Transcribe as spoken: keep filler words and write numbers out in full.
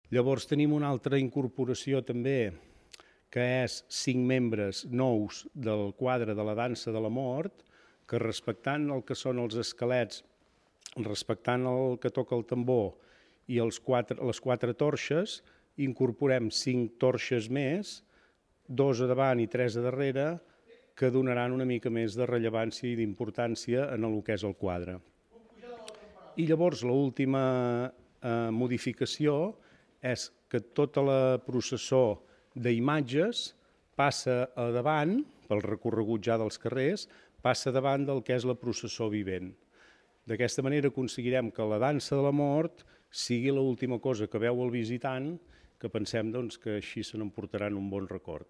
Llavors tenim una altra incorporació també, que és cinc membres nous del quadre de la dansa de la mort, que respectant el que són els esquelets, respectant el que toca el tambor i els quatre, les quatre torxes, incorporem cinc torxes més, dos a davant i tres a darrere, que donaran una mica més de rellevància i d'importància en el que és el quadre. I llavors l'última eh, modificació és que tota la processó d'imatges passa a davant, pel recorregut ja dels carrers, passa davant del que és la processó vivent. D'aquesta manera aconseguirem que la dansa de la mort sigui l'última cosa que veu el visitant, que pensem doncs, que així se n'emportaran un bon record.